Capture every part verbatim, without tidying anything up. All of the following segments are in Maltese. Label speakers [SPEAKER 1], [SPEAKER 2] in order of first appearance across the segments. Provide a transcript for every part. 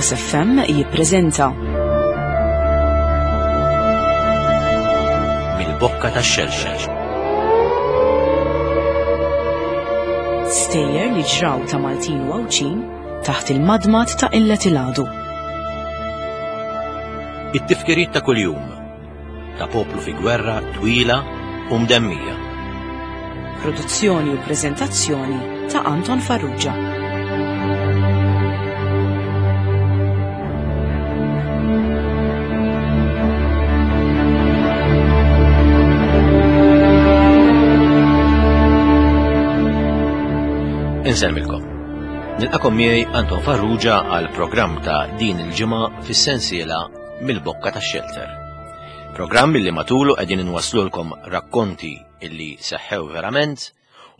[SPEAKER 1] Campus F M jippreżenta
[SPEAKER 2] Mill-Bokka tax-Xelxel.
[SPEAKER 1] Stejjer li ġraw ta' Maltin u Għawdxin taħt il-madmad ta' qillet il-għadu.
[SPEAKER 2] It-tifkiriet ta' kuljum ta' poplu fi gwerra twila u mdemmija.
[SPEAKER 1] Produzzjoni u preżentazzjoni ta' Anton Farrugia.
[SPEAKER 2] Insellmilkom. Nilqakom miegħi Anton Farrugia għal programm ta' din il-ġimgħa fis-sensiela Mill-Bokka tax-Xelter. Programm illi matulu qegħdin inwaslulkom rakkonti illi seħħew verament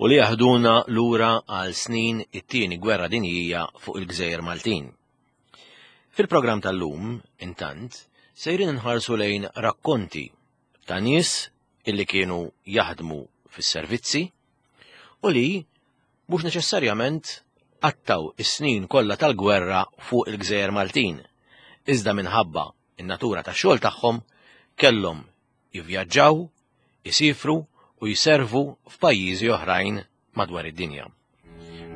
[SPEAKER 2] u li jaħduna lura għal snin it-tieni gwerra dinjija fuq il-Gżejjer Maltin. Fil-programm tal-lum, intant, sejrin nħarsu lejn rakkonti ta' nies illi kienu jaħdmu fis-servizzi u li mhux neċessarjament qattaw is-snin kollha tal-gwerra fuq il-Gżejjer Maltin, iżda minħabba in-natura tax-xogħol tagħhom kellhom jivvjaġġaw, isifru u jservu f'pajjiżi oħrajn madwar id-dinja.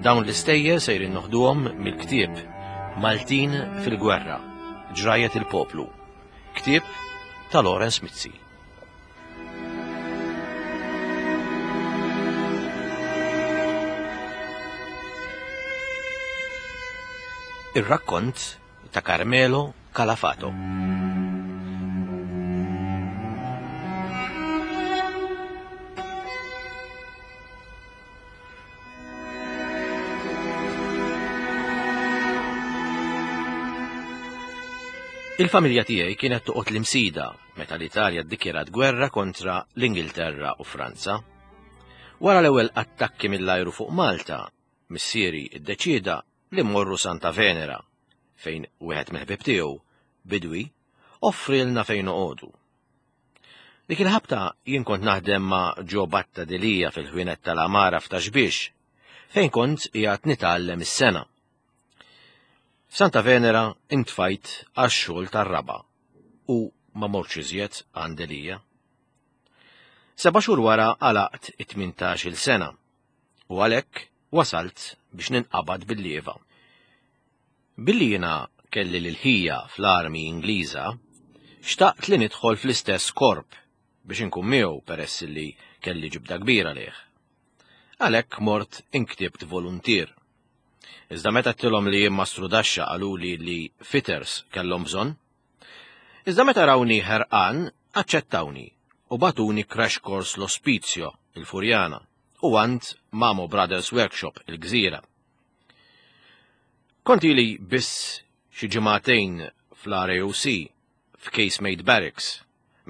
[SPEAKER 2] Dawn l-istejjer sejrin noħduhom mill-ktieb Maltin fil-Gwerra, Ġrajet il-Poplu, ktieb ta' Lawrence Mizzi. Ir-rakkont ta' Carmelo Calafato. Il-familja tiegħi kienet toqgħod l-Imsida meta l-Italja ddikjarat gwerra kontra l-Ingilterra u Franza. Wara l-ewwel attakki mill-ajru fuq Malta, missieri ddeċieda li mmorru Santa Venera, fejn wieħed mill-ħbieb tiegħu, bidwi, offrilna fejn noqogħdu. Dik il-ħabta jien kont naħdem ma' Ġo Batta Delija fil-ħwienet tal-Amara f'Ta' Xbiex, fejn kont qiegħed nitgħallem is-sena. Santa Venera intfajt għax-xogħol tar-raba' u ma mortx iżjed għand Delija. Seba' xhur wara għalaqt it-tmintax-il sena u għalhekk wasalt biex ninqabad bil-lieva. Billi jiena kelli l-ħija fl-armi Ingliża, xtaqt li nidħol fl-istess korp biex inkun miegħu peress li kelli ġibda kbira lih. Għalhekk mort inktibt voluntier. Iżda meta għedtilhom li jien mastrudaxxa qaluli li fitters kellhom bżonn. Iżda meta rawni ħerqan, aċċettawni u bagħtuni crash course l-Ospizio, il-Furjana, u għand Mamo Brothers Workshop, il-Gżira. Kont ili biss xi ġimagħtejn fl-R A O C f'Casemate Barracks,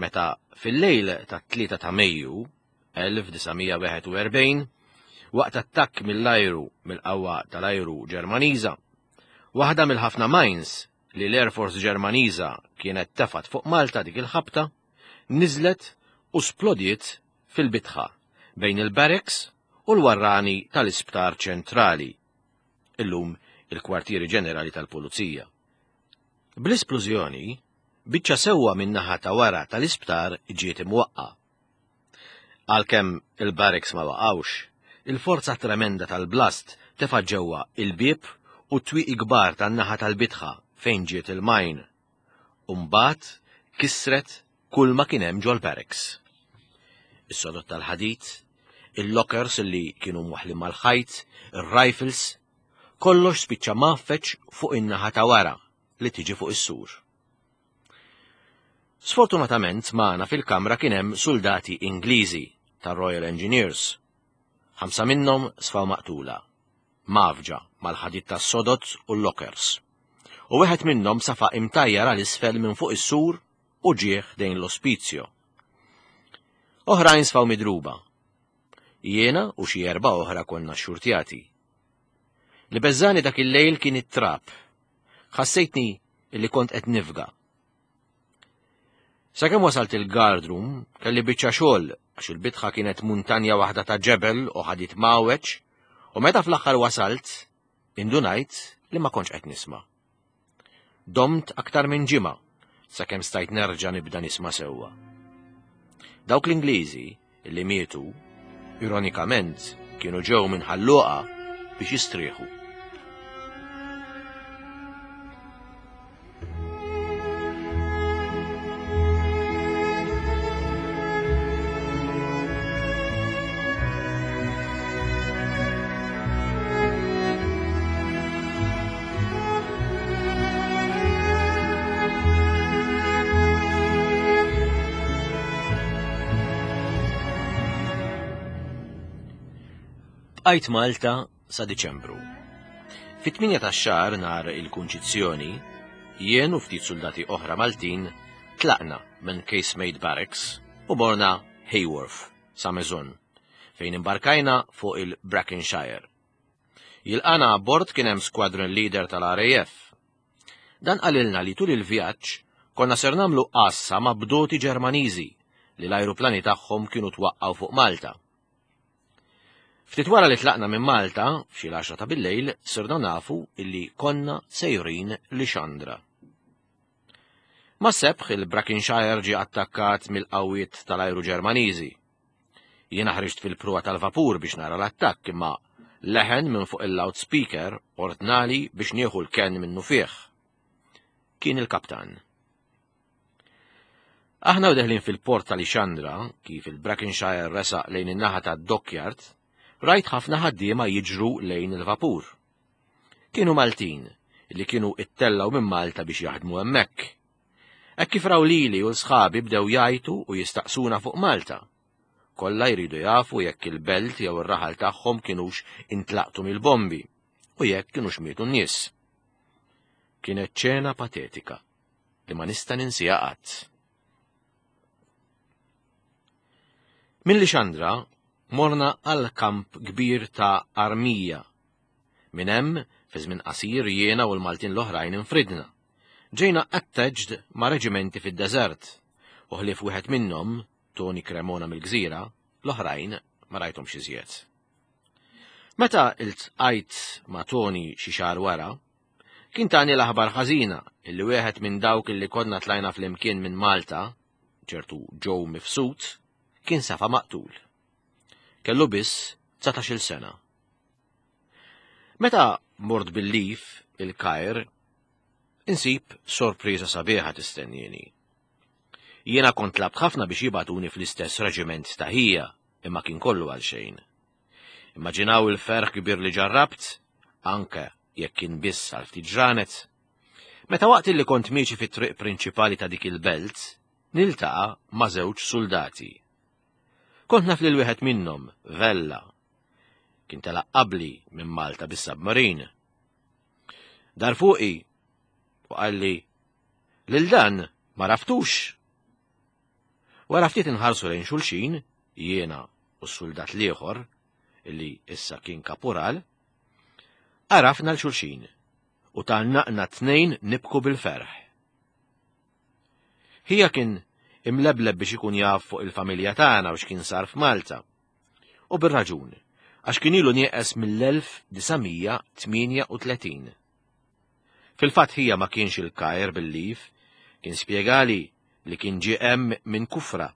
[SPEAKER 2] meta fil-lejl tat-tlieta ta' Mejju elf disa' mija wieħed u erbgħin, waqt attakk mill-ajru mill-qawwa tal-ajru Ġermaniża, waħda mill-ħafna mines li l-Air Force Ġermaniża kienet tefat fuq Malta dik il-ħabta, niżlet u splodiet fil-bitħa bejn il-barracks u l-warrani tal-Isptar Ċentrali, illum il-kwartieri ġenerali tal-Pulizija. Bl-isplużjoni, biċċa sewwa min-naħa ta' wara tal-isptar ġiet imwaqqa. Għalkemm il-barracks ma waqgħux, il-forza tremenda tal-blast tefa' ġewwa il-bieb u t-twieqi kbar tan-naħa tal-bitħa fejn ġiet il-majn. U mbagħad kisret kull ma kien hemm ġol-barracks. Is-sodod tal-ħadid, il-lockers li kienu mwaħħlin mal-ħajt, ir-rifles, kollox spiċċa mgħaffeġ fuq in-naħa ta' wara li tiġi fuq is-sur. Sfortunatament magħna fil-kamra kien hemm soldati Ingliżi tar-Royal Engineers. Ħamsa minnhom sfaw maqtula, mgħaffġa mal-ħadid tas-sodod u l-lockers. U wieħed minnhom safa imtajjar għal isfel minn fuq is-sur u ġieħ dejn l-ospizjo. Oħrajn sfaw midruba. Jiena u xi erba' oħra konna xxurtjati. Li beżżani dak il-lejl kien it-trab. Ħassejtni li kont qed nifga. Sakemm wasalt il-guard room, kelli biċċa xogħol għax il-bitħa kienet muntanja waħda ta' ġebel u ħadid mawweġ, u meta fl-aħħar wasalt, indunajt li ma kontx qed nisma'. Domt aktar minn ġimgħa sakemm stajt nerġa' nibda nisma' sewwa. Dawk l-Ingliżi li mietu, ironikament, kienu ġew minn Ħal Luqa biex jistrieħu. Bqajt Malta sa Diċembru. Fit-tmienja tax-xahar nhar il-Kunċizzjoni, jien u ftit soldati oħra Maltin tlaqna minn Casemate Barracks u morna Hayworth sa Mezon, fejn imbarkajna fuq il-Brackenshire. Jilqana abbord kien hemm squadron leader tal-R A F. Dan qalilna li tul il-vjaġġ konna ser nagħmlu qassa ma' bdoti Ġermaniżi li l-ajruplani tagħhom kienu twaqqgħu fuq Malta. Ftit wara li tlaqna minn Malta, f'xi l-għaxra ta' bil-lejl, sirna nafu illi konna sejrin Lixandra. Ma' sebħ il-Brackenshire ġie attakkat mill-qawwiet tal-ajru Ġermaniżi. Jiena ħriġt fil-pruwa tal-vapur biex nara l-attakk, imma leħen minn fuq il-loudspeaker ordnali biex nieħu l-ken minnu fih. Kien il-kaptan. Aħna u deħlin fil-port tal-Lixandra, kif il-Brackenshire resaq lejn in-naħa tad-dockyard, rajt ħafna ħaddiema jiġru lejn il-vapur. Kienu Maltin li kienu ittellaw minn Malta biex jaħdmu hemmhekk. Hekk kif raw lili u l-sħabi bdew jgħajtu u jistaqsuna fuq Malta. Kollha jridu jafu jekk il-belt jew ir-raħal tagħhom kienux intlaqtu mill-bombi u jekk kienux mietu n-nies. Kienet ċena patetika li ma nista' ninsiha qatt. Minn Lixandra morna għal kamp kbir ta' Armija. Minn hemm, fi żmien qasir jiena u l-Maltin l-oħrajn infridna. Ġejna attached ma' reġimenti fid-deżert, u ħlief wieħed minnhom, Tony Cremona mill-Gżira, l-oħrajn ma rajthomx iżjed. Meta iltqajt ma' Tony xi xahar wara, kien tani l-aħbar ħażina illi wieħed minn dawk illi konna tlajna flimkien minn Malta, ċertu Joe Mifsud, kien safa maqtul. Kellu biss dsatax-il sena. Meta mort bil-lif il-Kajr, insib sorpriża sabiħa tistennini. Jiena kont tlabt ħafna biex jibatuni fl-istess reġiment ta' ħija, imma kien kollu għal xejn. Immaġinaw il-ferħ kbir li ġarrabt, anke jekk kien biss għal ftit ġranet. Meta waqt li kont miexi fit-triq prinċipali ta' dik il-belt, niltaqa' ma' żewġ soldati. Kont naf lil wieħed minnhom, Vella. Kien telaq qabli minn Malta bis-submarin. Dar fuqi u qalli, lil dan ma raftux. Wara ftit inħarsu lejn xulxin, jiena u s-soldat l-ieħor, illi issa kien kapural, għarafna l xulxin u tgħannaqna tnejn nibku bil-ferħ. Ħija kien imlebleb biex ikun jaf fuq il-familja tagħna u x'kien sar f'Malta. U bir-raġun, għax kien ilu nieqes mill-elf disa' mija tmienja u tletin. Fil-fatt ħija ma kienx il-Kajr bil-lif, kien spjegali li kien ġie hemm minn Kufra,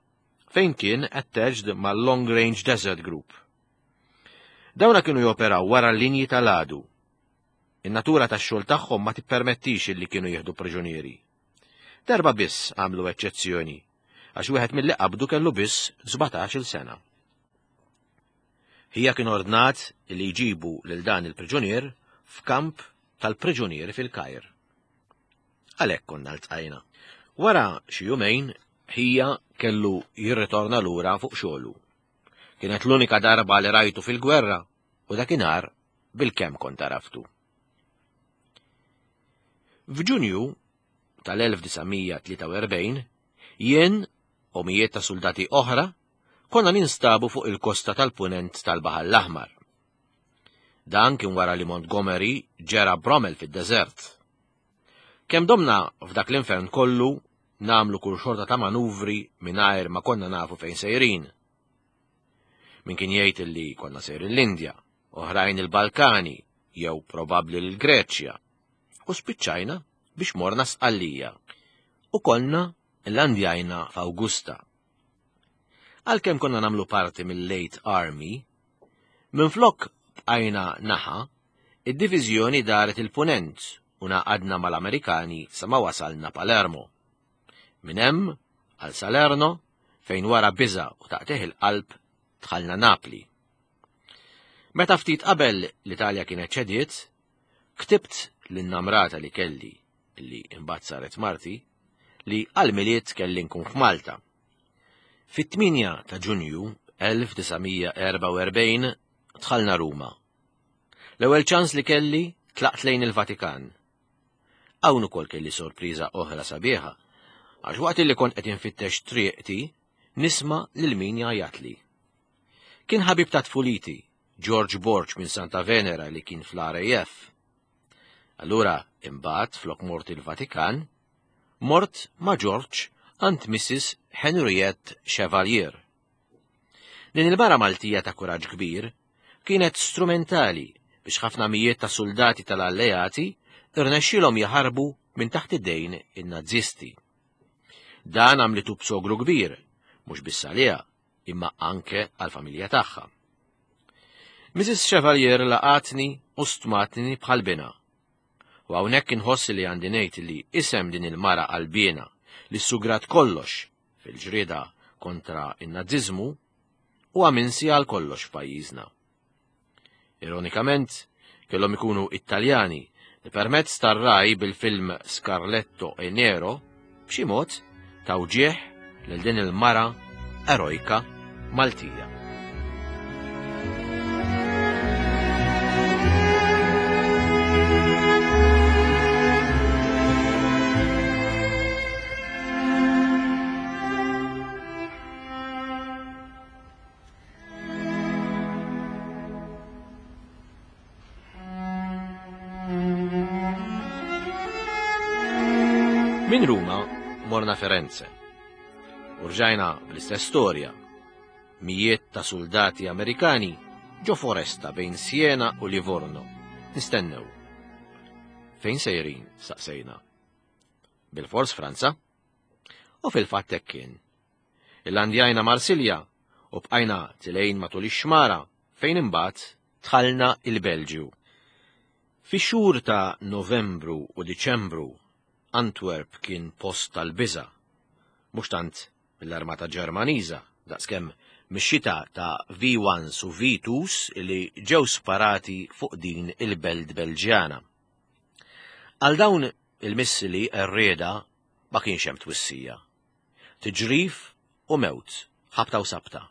[SPEAKER 2] fejn kien attached mal-Long Range Desert Group. Dawna kienu joperaw wara l-linji tal-għadu. In-natura tax-xogħol tagħhom ma tippermettix li kienu jieħdu priġunieri. Darba biss għamlu eċċezzjoni, għax wieħed mill-li qabdu kellu biss sbatax-il sena. Ħija kien ordnat li jġibu lil dan il-priġunier f'kamp tal-priġunieri fil-Kajr. Għalhekk konna ltqajna. Wara xi jumejn, ħija kellu jirritorna lura fuq xogħlu. Kienet l-unika darba li rajtu fil-gwerra u dakinhar bil-kemm kont għaraftu. F'Ġunju tal-elf disa' mija tlieta u erbgħin, jien u mijiet ta' soldati oħra konna ninstabu fuq il-kosta tal-punent tal-Baħar l-Aħmar. Dan kien wara li Montgomery ġera Bromel fid-deżert. Kemm domna f'dak l-infern kollu namlu kull xorta ta' manuvri mingħajr ma konna nafu fejn sejrin. Min kien jgħid li konna sejrin l-Indja, oħrajn il-Balkani, jew probabbli l-Greċja, u spiċċajna biex morna Sqallija u konna llandjajna f'Awgusta. Għalkemm konna nagħmlu parti mill-Eighth Army, minflok bqajna naħa, id-diviżjoni daret il-punent u naqadna mal-Amerikani sa ma wasalna Palermo. Minn hemm għal Salerno, fejn wara biża u taqtih il-qalb dħalna Napli. Meta ftit qabel l-Italja kienet ċediet, ktibt lin-namrata li kelli, li imbagħad saret marti, li għal-Milied kelli nkun f'Malta. Fit-tmienja ta' Ġunju elf disa' mija erbgħa u erbgħin dħalna Ruma. L-ewwel ċans li kelli tlaqt lejn il-Vatikan. Hawn ukoll kelli sorpriża oħra sabiħa, għax waqt li kont qed infittex triqti nisma' lil min jgħajjatli. Kien ħabib ta' tfuliti, George Borg minn Santa Venera li kien fl-R A F. Allura imbagħad flok mort il-Vatikan, mort ma' George għand Missus Henriette Chevalier. Din il-mara Maltija ta' kuraġġ kbir kienet strumentali biex ħafna mijiet ta' soldati tal-alleati irnexxielhom jaħarbu minn taħt id-dejn in-Nazisti. Dan għamlitu b'sogru kbir, mhux biss għaliha, imma anke għall-familja tagħha. Missus Chevalier laqatni u stmatni bħal bina. U hawnhekk inħoss li għandi ngħid li isem din il-mara qalbiena li sugrat kollox fil-ġrieda kontra in-Naziżmu huwa minsi għal kollox f'pajjiżna. Ironikament, kellhom ikunu Italjani li permezz tar-raj bil-film Scarletto e Nero b'xi mod taw ġieħ lil din il-mara erojka Maltija. Min Ruma morna Firenze. Urġajna bl-istess storja. Mijiet ta' soldati Amerikani ġo foresta bejn Siena u Livorno. Nistennew. Fejn sejrin, saqsejna. Bil-fors Franza? U fil-fatt hekk kien. Illandjajna Marsilja u bqajna tilejn matul ix-xmara fejn imbagħad dħalna il-Belġju. Fix-xhur ta' Novembru u Diċembru Antwerp kien post tal-biża', mhux tant mill-armata Ġermaniża, daqskemm mix-xita ta' V ones u V twos li ġew sparati fuq din il-belt Belġjana. Għal dawn il-missili r-rieda ma kienx hemm twissija. Tiġrif u mewt, ħabta u sabta.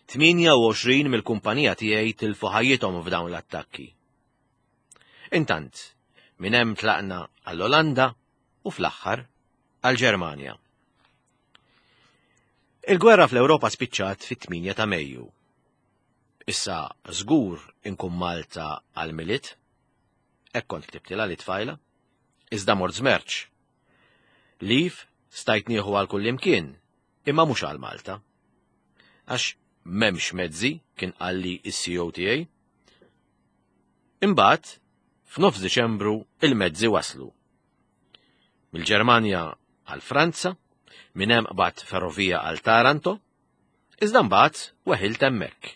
[SPEAKER 2] Tmienja u għoxrin mill-kumpanija tiegħi tilfu ħajjithom f'dawn l-attakki. Intant, minn hemm tlaqna għall-Olanda u fl-aħħar għall-Ġermanja. Il-gwerra fl-Ewropa spiċċat fit-tmienja ta' Mejju. Issa żgur inkun Malta għall-Milied, hekk kont ktibtilha li tfajla, iżda mort żmerċ. Lif stajt nieħu għal kullimkien, imma mhux għal Malta. Għax m'hemmx mezzi kien qalli s-C O tiegħi. Imbagħad, f'nofs Diċembru il-mezzi waslu. Mill-Ġermanja għal Franza, minn hemm qbad ferrovija għal Taranto, iżda mbagħad weħilt hemmhekk.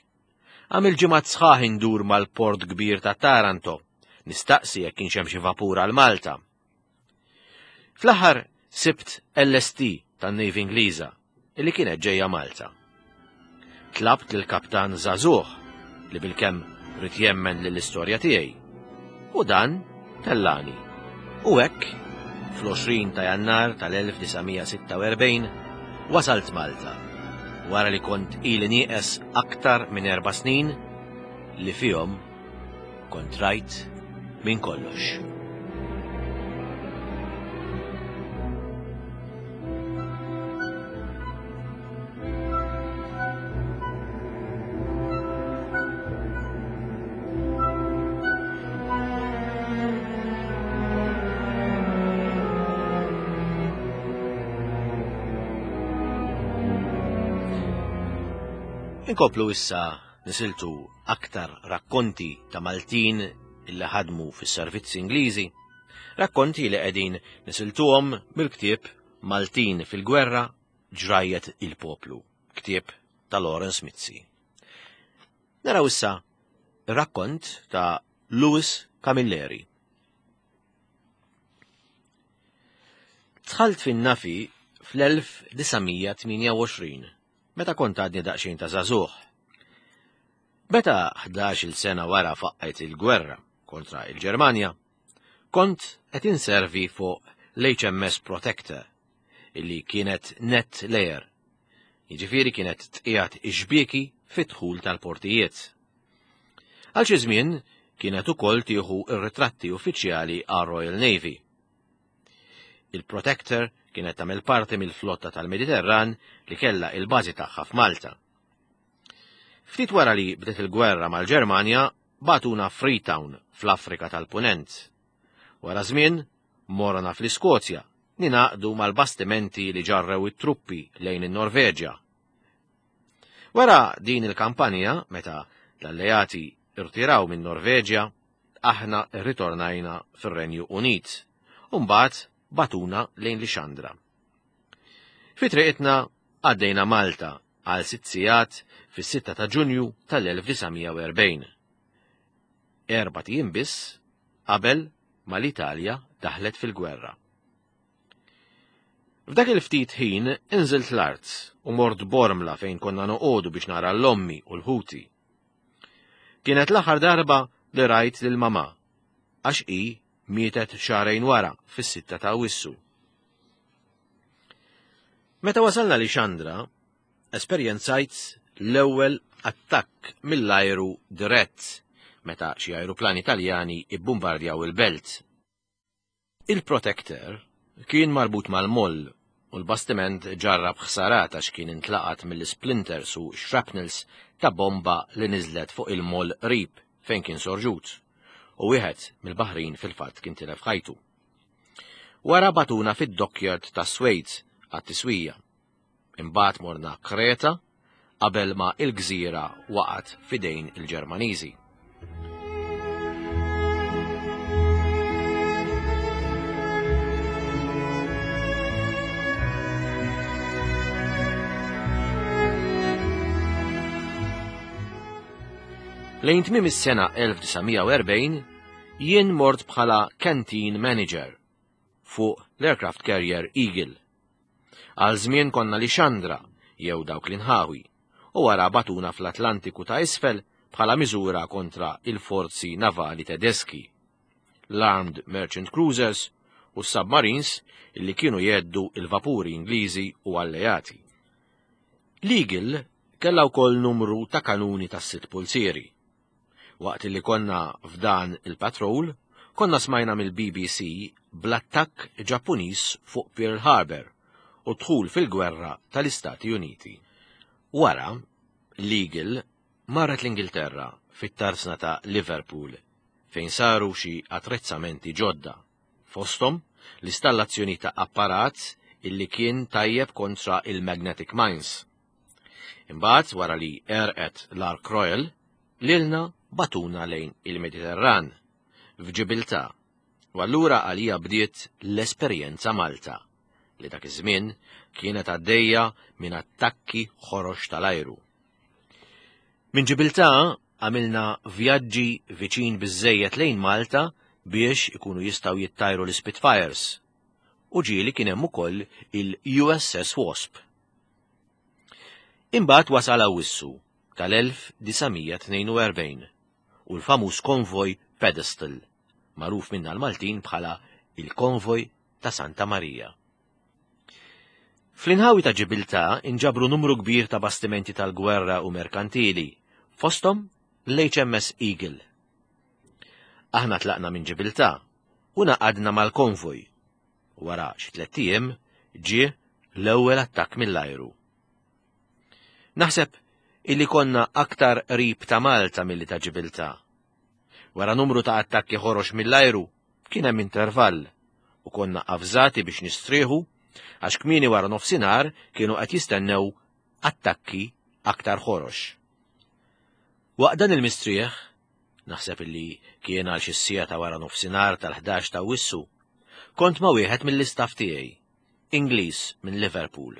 [SPEAKER 2] Għamil ġimgħat sħaħ indur mal-port kbir ta' Taranto, nistaqsi jekk kienx hemm xi vapur għal Malta. Fl-aħħar sibt L S T tan-Navy Ingliża illi kienet ġejja Malta. Tlabt lill-kaptan żagħżugħ li bilkemm rid jemmen lill-istorja tiegħi. U dan tellani. U hekk, fl-għoxrin ta' Jannar tal-elf disa' mija sitta u erbgħin, wasalt Malta, wara li kont ili nieqes aktar minn erba' snin li fihom kont rajt minn kollox. Inkomplu issa nisiltu aktar rakkonti ta' Maltin illi ħadmu fis-servizzi Ingliżi, Rakkonti li qegħdin nisiltuhom mill-ktieb Maltin fil-Gwerra Ġrajjet il-Poplu, ktieb ta' Lawrence Mizzi. Naraw issa rakkont ta' Louis Camilleri. Dħalt fin-Nafi fl-elf disa' mija tmienja u għoxrin, meta kont għadni daqsxejn ta' żagħżugħ. Meta ħdax-il sena wara faqqgħet il-gwerra kontra il-Ġermanja, kont qed inservi fuq l-H M S Protector, illi kienet net layer, jiġifieri kienet tqiegħed ix-xbieki fit-dħul tal-portijiet. Għal xi żmien kienet ukoll tieħu r-ritratti uffiċjali għar Royal Navy. Il-Protector kienet tagħmel parti mill-flotta tal-Mediterran li kellha il-bażi tagħha f'Malta. Ftit wara li bdiet il-gwerra mal-Ġermanja, bagħtuna Freetown fl-Afrika tal-Punent. Wara żmien, morna fl-Iskozja, ninaqdu mal-bastimenti li ġarrew it-truppi lejn in-Norveġja. Wara din il-kampanja, meta l-alleati irtiraw minn Norveġja, aħna rritornajna fir-Renju Unit, u mbagħad batuna lejn Lixandra. Fi triqitna għaddejna Malta għal sitt sigħat fis-sitta ta' Ġunju tal-elf disa' mija u erbgħin. Erbat ijiem biss qabel ma l-Italja daħlet fil-gwerra. F'dak il-ftit ħin inżilt l-art u mort Bormla fejn konna noqogħdu biex nara l-ommi u l-ħuti. Kienet l-aħħar darba li rajt lil mamà, għax hi mietet xahrejn wara fis-sitta ta' Awwissu. Meta wasalna Lixandra, esperjenzajt l-ewwel attakk mill-ajru dirett meta xi ajruplani Taljani ibbumbardjaw il-belt. Il-Protector kien marbut mal-moll u l-bastiment ġarrab ħsarat għax kien intlaqat mill-splinters u shrapnels ta' bomba li niżlet fuq il-moll qrib fejn kien sorġut, u wieħed mill-baħrin fil-fatt kien tilef ħajtu. Wara batuna fid-dockyard ta' Suez għat-tiswija. Imbagħad morna Kreta qabel ma il-gżira waqgħet f'idejn il-Ġermaniżi. Lejn tmiem is-sena elf disa' mija u erbgħin, jien mort bħala canteen manager fuq l-aircraft carrier Eagle. Għal żmien konna Lixandra jew dawk l-inħawi, u wara batuna fl-Atlantiku ta' isfel bħala miżura kontra il-forzi navali tedeski, l-Armed Merchant Cruisers u s-submarines illi kienu jeddu il-vapuri Ingliżi u alleati. L-Eagle kellha wkoll numru ta' kanuni tas sitt pulzieri. Waqt li konna f'dan il-patrol, konna smajna mill-B B C bl-attakk Ġappuniż fuq Pearl Harbor u dħul fil-gwerra tal-Istati Uniti. Wara, l-Eagle marret l-Ingilterra fit-tarsna ta' Liverpool, fejn saru xi attrezzamenti ġodda, fosthom l-istallazzjoni ta' apparat illi kien tajjeb kontra il-magnetic mines. Imbagħad wara li erqet l-Ark Royal, lilna batuna lejn il-Mediterran, f'Ġibiltà, u allura għalija bdiet l-esperjenza Malta, li dak iż-żmien kienet għaddejja minn attakki ħorox tal-ajru. Minn Ġibiltà għamilna vjaġġi viċin biżżejjed lejn Malta biex ikunu jistgħu jittajru l-Spitfires, u ġieli kien hemm ukoll il-U S S Wasp. Imbagħad wasal Awwissu tal-elf disa' mija tnejn u erbgħin u l-famuż konvoj Pedestal, magħruf minna l-Maltin bħala il-konvoj ta' Santa Marija. Fl-inħawi ta' Ġibiltà inġabru numru kbir ta' bastimenti tal-gwerra u merkantili, fosthom l-H M S Eagle. Aħna tlaqna minn Ġibiltà u naqadna mal-konvoj. Wara xi tliet ijiem ġie l-ewwel attakk mill-ajru. Naħseb illi konna aktar qrib ta' Malta milli ta' Ġibiltà. Wara numru ta' attakki ħorox mill-ajru kien hemm intervall u konna avżati biex nistrieħu għax kmieni wara nofsinhar kienu qed jistennew attakki aktar ħorox. Waqt dan il-mistrieħ, naħseb illi kien għal xi siegħa ta' wara nofsinhar tal-ħdax ta' Awwissu, Kont ma' wieħed mill-istaff tiegħi, Ingliż minn Liverpool.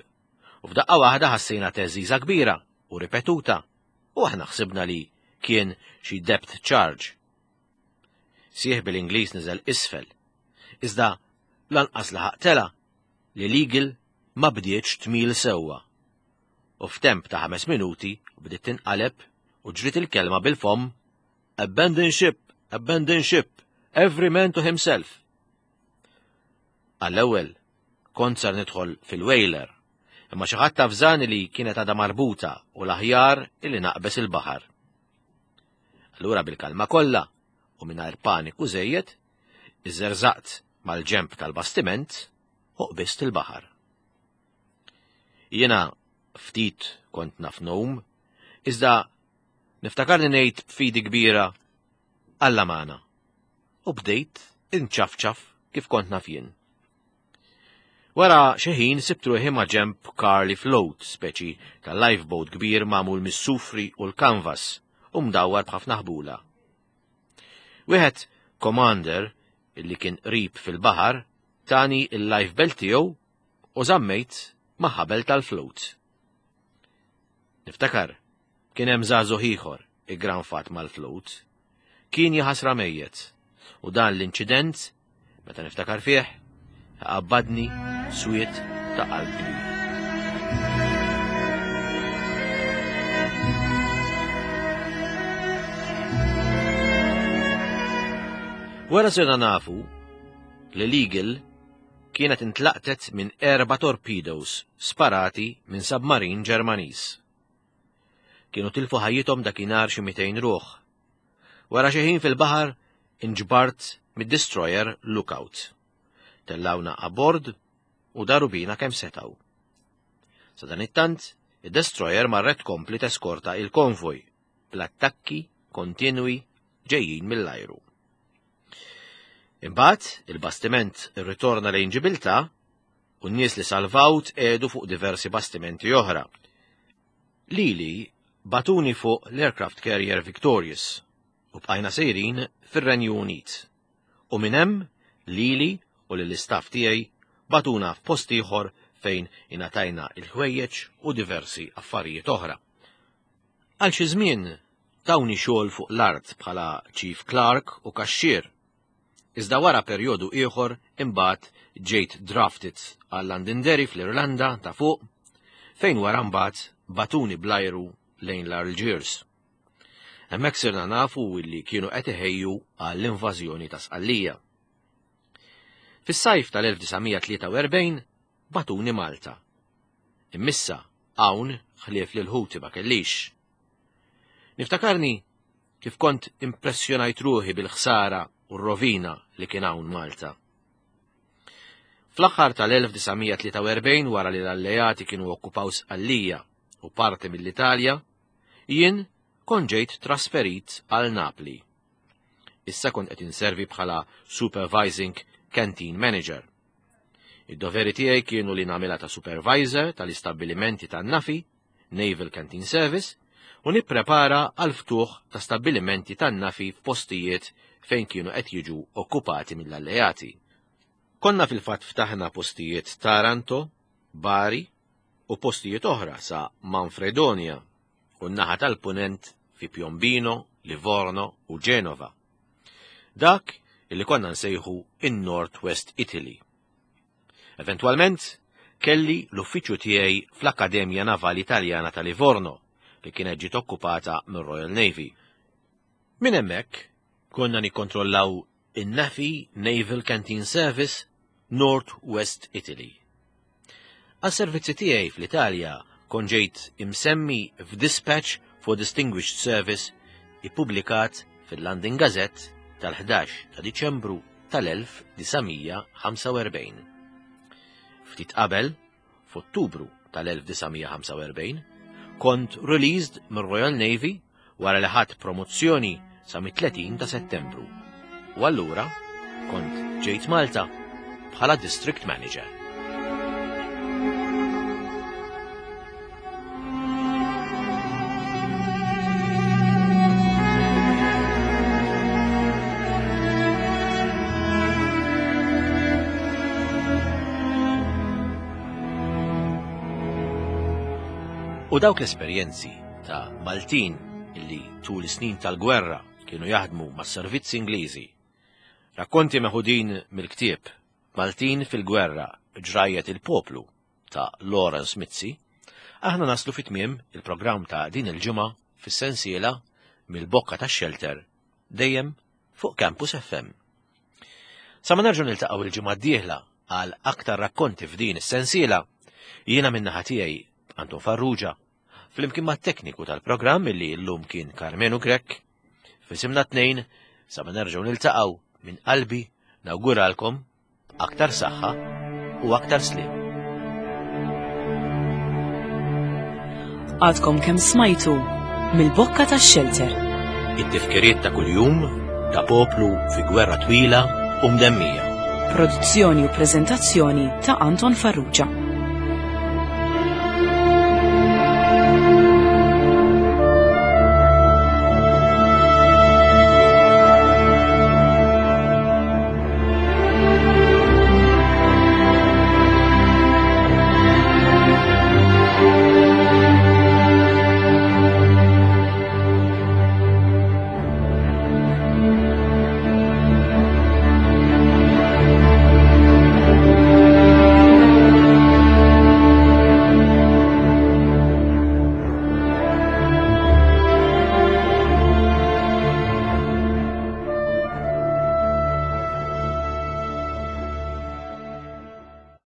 [SPEAKER 2] U f'daqqa waħda ħassejna teżiża kbira u ripetuta, u aħna ħsibna li kien xi depth charge. Sieħbi l-Ingliż niżel isfel, iżda lanqas laħaq tela li l-Eagle ma bdietx tmil sewwa. U f'temp ta' ħames minuti bdiet tinqaleb u ġriet il-kelma bil-fomm "Abandon ship, abandon ship, every man to himself." Għall-ewwel kont sar nidħol fil-whaler, imma xi ħadd tafżani li kienet għadha marbuta u l-aħjar illi naqbes il-baħar. Allura bil-kalma kollha u mingħajr paniku żejjed, iżżerżaqt mal-ġenb tal-bastiment u qbist il-baħar. Jiena ftit kont naf ngħum, iżda niftakarni ngħid b'fidi kbira Alla magħna. U bdejt inċafċaf kif kont naf jien. Wara xi ħin sibt ruħi ma' ġenb Carley Float, speċi ta' lifeboat kbir magħmul mis-sufri u l-kanvas u mdawwar b'ħafna ħbula. Wieħed commander illi kien qrib fil-baħar tani il-life belt tiegħu u żammejt ma' ħabel tal-float. Niftakar, kien hemm żagħżugħ ieħor iggranfat mal-float. Kien jaħasra mejjet, u dan l-inċident, meta niftakar fih, qabbadni swied ta' qalb kbir. Wara sirna nafu li l-Eagle kienet intlaqtet minn erba' torpedoes sparati minn submarin Ġermaniż. Kienu tilfu ħajjithom dakinhar xi mitejn ruħ. Wara xi ħin fil-baħar inġbart mid-destroyer Lookout. Tellawna abbord u daru bina kemm setgħu. Sadanittant, id-destroyer marret tkompli teskorta il-konvoj bl-attakki kontinwi ġejjin mill-ajru. Imbagħad il-bastiment irritorna lejn Ġibiltà u n-nies li salvaw tqiegħdu fuq diversi bastimenti oħra. Lili bagħtuni fuq l-aircraft carrier Victorious u bqajna sejrin fir-Renju Unit. U minn hemm lili u lill-istaff tiegħi bagħtuna f'post ieħor fejn ingħatajna il-ħwejjeġ u diversi affarijiet oħra. Għal xi żmien tawni xogħol fuq l-art bħala chief clerk u kaxxier. Iżda wara perjodu ieħor imbagħad ġejt drafted għal Londonderry fl-Irlanda ta' fuq, fejn wara mbagħad bagħtuni bl-ajru lejn l-Algiers. Hemmhekk sirna nafu illi kienu qed iħejju għall-invażjoni ta' Sqallija. Fis-sajf tal-elf disa' mija tlieta u erbgħin bagħtuni Malta. Immissa hawn ħlief lil ħuti ma kellix. Niftakarni kif kont impressjonajt ruħi bil-ħsara u r-rovina li kien hawn Malta. Fl-aħħar tal-elf disa' mija tlieta u erbgħin, wara li l-alleati kienu okkupaw Sqallija u parti mill-Italja, jien kont ġejt trasferit għal Napli. Issa kont qed inservi bħala Supervising Canteen Manager. Id-doveri tiegħi kienu li nagħmilha ta' supervisor tal-istabbilimenti tan-Nafi, Naval Canteen Service, u nipprepara għal ftuħ ta' stabbilimenti tan-Nafi f'postijiet fejn kienu qed jiġu okkupati mill-alleati. Konna fil-fatt ftaħna postijiet Taranto, Bari u postijiet oħra sa Manfredonia u n-naħa tal-punent fi Piombino, Livorno u Genova. Dak illi konna nsejħu in-North West Italy. Eventwalment, kelli l-uffiċċju tiegħi fl-Akkademja Navali Italjana ta' Livorno li kienet ġiet okkupata mir-Royal Navy. Minn hemmhekk konna nikkontrollaw in-Nafi Naval Canteen Service North West Italy. Għas-servizzi tiegħi fl-Italja kont ġejt imsemmi f'Dispatch for Distinguished Service ippubblikat fil-London Gazette tal-ħdax ta' Diċembru tal-elf disa' mija ħamsa u erbgħin. Ftit qabel, f'Ottubru tal-elf disa' mija ħamsa u erbgħin, kont released mir-Royal Navy wara li ħadt promozzjoni sa mit-tletin ta' Settembru. U allura kont ġejt Malta bħala District Manager. U dawk l-esperjenzi ta' Maltin illi tul is-snin tal-gwerra kienu jaħdmu mas-servizzi Ingliżi. Rakkonti meħudin mill-ktieb Maltin fil-Gwerra Ġrajjet il-Poplu ta' Lawrence Mizzi, aħna naslu fi tmiem il-programm ta' din il-ġimgħa fis-sensiela Mill-Bokka tax-Xelter dejjem fuq Campus F M. Sa ma nerġgħu niltaqgħu il-ġimgħa d-dieħla għal aktar rakkonti f'din is-sensiela, jiena min-naħa tiegħi Anton Farrugia, flimkien mat-tekniku tal-programm illi llum kien Carmenu Grek, f'isimna tnejn, sa ma nerġgħu niltaqgħu, minn qalbi nawguralkom aktar saħħa u aktar sliem.
[SPEAKER 1] Għadkom kemm smajtu Mill-Bokka tax-Xelter.
[SPEAKER 2] It-tifkiriet ta' kuljum ta' poplu fi gwerra twila u mdemmija.
[SPEAKER 1] Produzzjoni u preżentazzjoni ta' Anton Farrugia.